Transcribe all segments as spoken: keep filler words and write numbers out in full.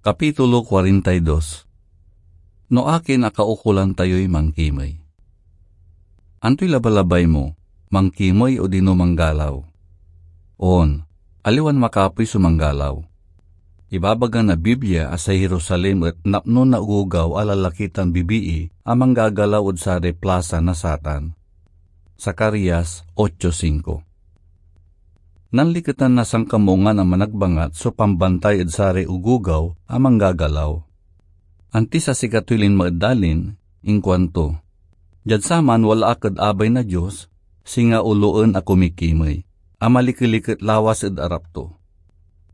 Kapitulo kuarenta y dos. No akin a kaukolan tayoy mankimey. Antoy labalabay mo, mankimey odino manggalaw? On, aliwan makapoy so manggalaw. Ibabaga na Biblia a say Jerusalem et napno na ogogaw a lalaki tan bibii a manggagalaw ed saray plasa na satan. Zacarias ocho cinco. Nanliketan na sankamungan a managbangat so pambantay ed saray ogogaw a manggagalaw. Antis a sikatoy linma ed dalin, inkuanto, "Diad saman wala ak ed abay na Dios, singa oloen a kumikimey, a malikeliket lawas ed arap to."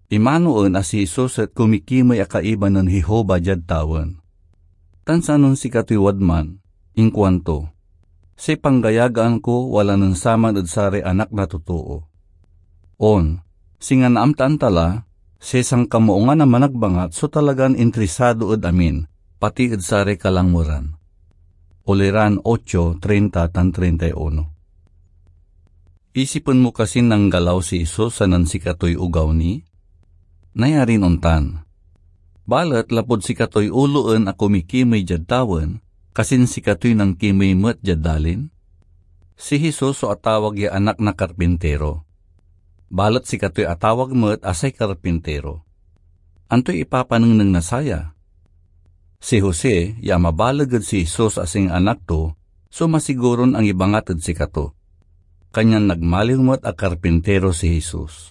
Imanoen a si Jesus et kumikimey a kaiba nen Jehovah diad tawen. Tan sanon sikatoy wadman, inkuanto, "Say panggayagaan ko wala nen saman ed saray anak na totoo." On, singa naamtaan ta la, say sankamuongan a managbangat so talagan interesado ed amin, pati ed saray kalangweran. Uliran ocho treinta tan treinta y uno. Isipen mo kasin nanggalaw si Jesus a nen sikatoy ogaw ni? Nayarin ontan. Balet lapud sikatoy oloen a kumikimey diad tawen, kasin sikatoy nankimey met diad dalin? Si Jesus so atawag ya anak na karpintero. Balet sikatoy atawag met a say karpintero. Antoy ipapanengneng na saya? Si Jose, ya mabaleg ed si Jesus a singa anak to, so masiguron angibangat ed sikato. Kanyan nagmaliw met a karpintero si Jesus.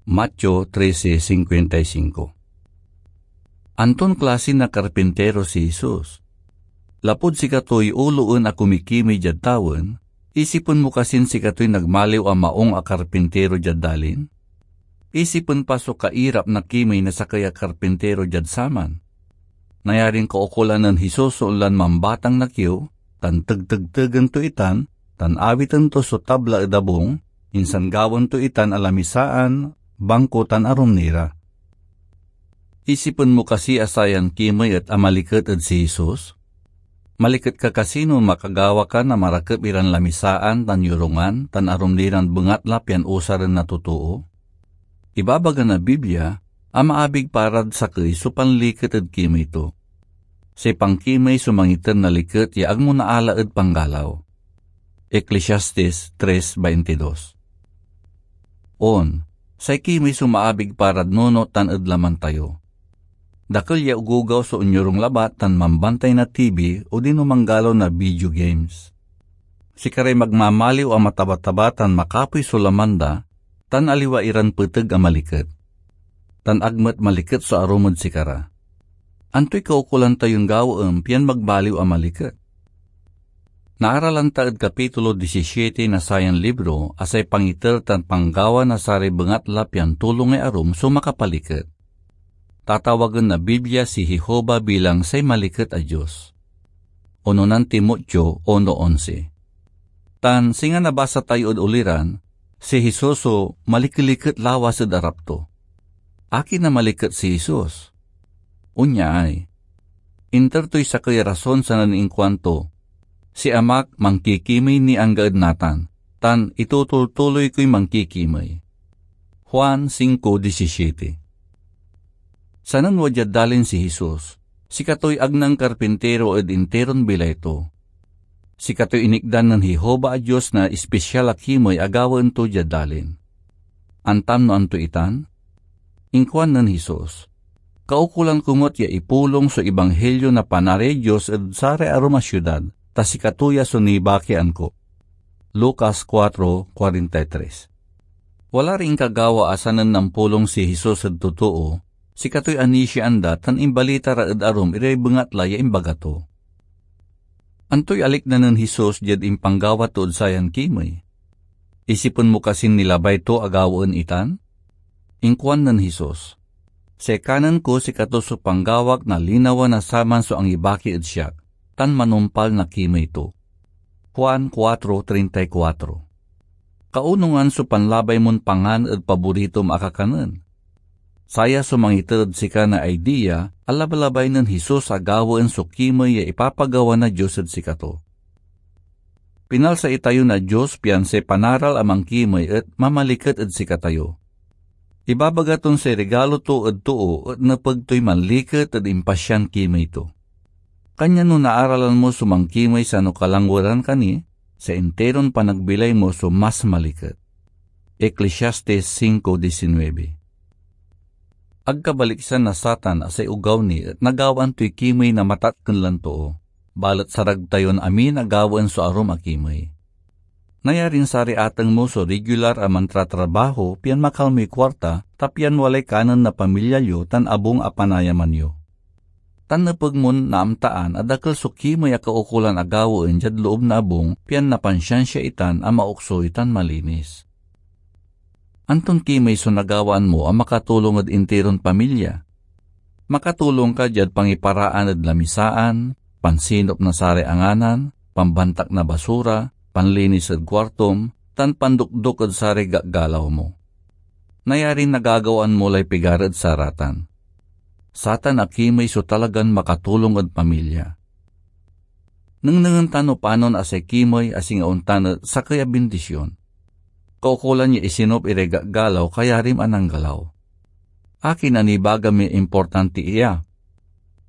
Mateo trese cincuenta y cinco. Anton klase na karpintero si Jesus? Lapud sikatoy oloen a kumikimey diad tawen, isipen mo kasin sikatoy nagmaliw a maong a karpintero diad dalin? Isipen pa so kairap na kimey na sakey a karpintero diad saman. Nayarin kaukolan nen Jesus so onlan mambatang na kiew, tan tegtegtegen to itan, tan awiten to so tabla ed abung, insan gawaen to itan a lamisaan, bangko, tan arum ni ra. Isipen mo kasi a sayan kimey et amaliket ed si Jesus? Maliket ka kasi no makagawa ka na marakep iran lamisaan tan yorungan tan arum ni ran bengatla pian usaren na totoo? Ibabaga na Biblia a maabig parad sakey so panliket ed kimey to. Say pankimey so mangiter na liket ya agmo naala ed panggalaw. Eclesiastes tres veintidos. On, say kimey so maabig parad nunot tan ed laman tayo. Dakel ya ogogaw so onyorung labat tan mambantay na T V odino manggalaw na video games. Sikaray magmamaliw a mataba-taba tan makapoy so laman da, tan aliwa iran peteg a maliket. Tan ag met maliket so arum ed sikara. Antoy kaukolan tayon gawaen pian magmaliw a maliket? Naaralan ta ed kapitulo disisiete na sayan libro a say pangiter tan panggawa na saray bengatla pian tulongay arum so makapaliket. Tatawagen na Biblia si Jehovah bilang say maliket a Dios. Unonan Timoteo uno onse. Tan singa nabasa tayo ed uliran, si Jesus so malikeliket lawas ed arap to. Akin a maliket si Jesus? Onyay, inter toy sakey a rason sanen inkuanto, "Si Amak mankikimey ni angga ed natan, tan itutultuloy koy mankikimey." Juan cinco diecisiete. Sanen wadyad dalin si Jesus, sikatoy agnang karpintero ed interon bilay to. Sikatoy inikdan nen Jehovah a Dios na ispisial a kimey a gawaen to diad dalin. Antam no anto itan? Inkuan nen Jesus, "Kaukolan ko met ya ipulong so Ebanghelio na Panariay Dios ed saray arum a siudad, ta sikato ya so nibakian ko." Lucas cuatro cuarenta y tres. Wala ray inkagawa a sanen nampulong si Jesus ed totoo, sikatoy anisiaan da tan imbalita ra ed arum iray bengatla ya imbaga to. Antoy alikna nen Jesus diad impanggawa tod sayan kimey? Isipen mo kasin nilabay to a gawaen itan? Inkuan nen Jesus, "Say kanen ko sikato so panggawak na linawa na saman so angibaki ed siak, tan manumpal na kimey to." Juan cuatro treinta y cuatro. Kaunongan so panlabay mon pangan ed paboritom a kakanen. Saya so mangiter ed sika na idea a labalabay nen Jesus a gawaen so kimey ya ipapagawa na Dios ed sikato. Pinalsa itayo na Dios pian say panaral a mankimey et mamaliket ed sikatayo. Ibabaga ton say regalo to ed too et nepeg toy manliket ed impasian kimey to. Kanyan no naaralan mo so mankimey sano kalangweran ka ni, say interon panagbilay mo so mas maliket. Eclesiastes cinco diecinueve. Agkabaliksan na Satan a say ogaw ni et nagawaan toy kimey na matatken lan too, balet sarag tayon amin a gawaen so arum a kimey. Nayarin saray ateng mo so regular a mantratrabaho pian makalmoy kuarta, ta pian walay kanen na pamilya yo tan abung a panayaman yo. Tan nepeg mon naamtaan a dakel so kimey a kaukolan a gawaen diad loob na abung pian napansiansia itan a maoksoy tan malinis. Anton kimey so nagawaan mo a makatulong ed interon pamilya? Makatulong ka diad pangiparaan ed lamisaan, pansinop na saray anganan, pambantak na basura, panlinis ed kuartom, tan pandokdok ed saray gagalaw mo. Nayarin nagagawaan mo lay pigar ed saratan. Satan a kimey so talagan makatulong ed pamilya. Nengnengen ta no panon a say kimey a singa ontan et sakey a bindision. Kaukolan ya isinop iray gagalaw kayarim a nanggalaw. Akin a nibagam ya importanti iya?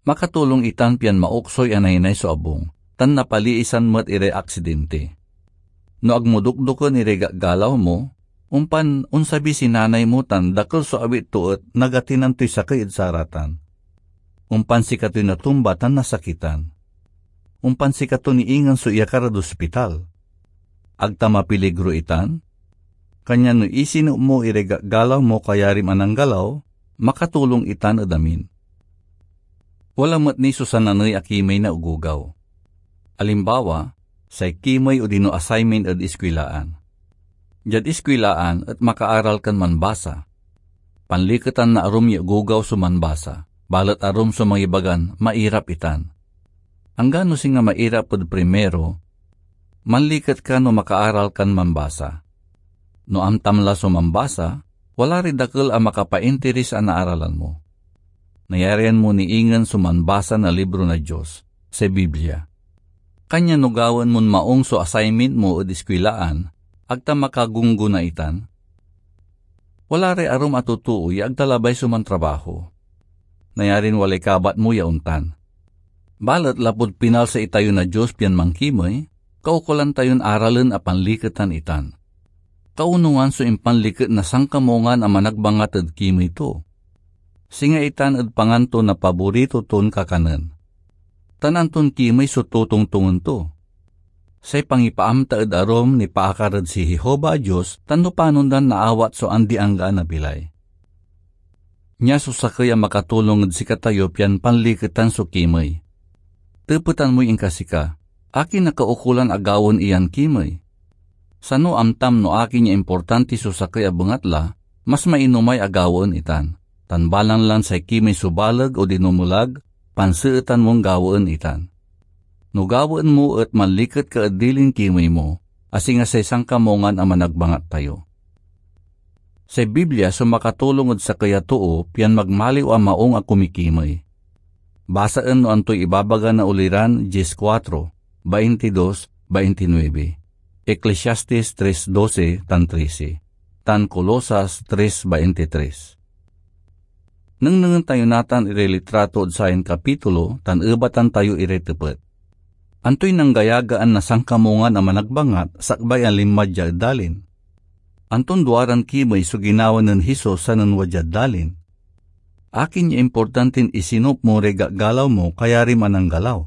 Makatulong itan pian maoksoy a naynay so abung, tan napaliisan met iray aksidente. No ag mo dokdoken iray gagalaw mo, ompan onsabi si nanay mo tan dakel so awit to et nagatinan toy sakey ed saratan. Ompan sikatoy natumba tan nasakitan. Ompan sikato ni ingen so iyakar ed ospital. Ag ta mapiligro itan? Kanyan no isinop mo iray gagalaw mo kayarim a nanggalaw, makatulong itan ed amin. Wala met ni so sananey a kimey na ogogaw. Alimbawa, say kimey odino assignment ed iskwilaan. Diad iskwilaan et makaaral kan manbasa. Panliketan na arum ya ogogaw so manbasa, balet arum so mangibagan mairap itan. Anggano singa mairap ed primero, manliket ka no makaaral kan manbasa. No amtam la so manbasa, wala ray dakel a makapainteres a naaralan mo. Nayarian mo ni ingen so manbasa na libro na Dios, say Biblia. Kanyan no gawaen mon maong so assignment mo ed iskwilaan, ag ta makagunggona itan? Wala ray arum a totoo ya ag da labay so mantrabaho. Nayarin walay kabat mo ya ontan. Balet lapud pinalsa itayo na Dios pian mankimey, kaukolan tayon aralen a panliketan itan. Kaunongan so impanliket na sankamungan a managbangat ed kimey to. Singa itan ed pangan to na paborito ton kakanen. Tan anton kimey so totongtongen to? Say pangipaamta ed arum nipaakar ed si Jehovah a Dios tan no panon dan naawat so andi-anggaan a bilay. Nia so sakey a makatulong ed sikatayo pian panliketan so kimey. Tepetan moy inkasika, akin a kaukolan a gawaen iyan kimey? Sano amtam no akin ya importanti so sakey a bengatla, mas mainomay a gawaen itan, tan balang lan say kimey so baleg odino melag, panseetan mon gawaen itan. No gawaen mo et manliket ka ed dilin kimey mo, a singa say sankamungan a managbangat tayo. Say Biblia so makatulong ed sakey a too pian magmaliw a maong a kumikimey. Basaen no antoy ibabaga na Uliran diez kuatro, baintidos, baintinuebe, Eclesiastes tres doce tan trese, tan Colosas tres baintitres. Nengnengen tayo natan iray litrato ed sayan kapitulo tan ebatan tayo iray tepet. Antoy nanggayagaan na sankamungan a managbangat sakbay a linma dia ed dalin? Anton duaran kimey so ginawa nen Jesus sanen wadyad dalin? Akin ya importantin isinop mo ray gagalaw mo kayarim a nanggalaw?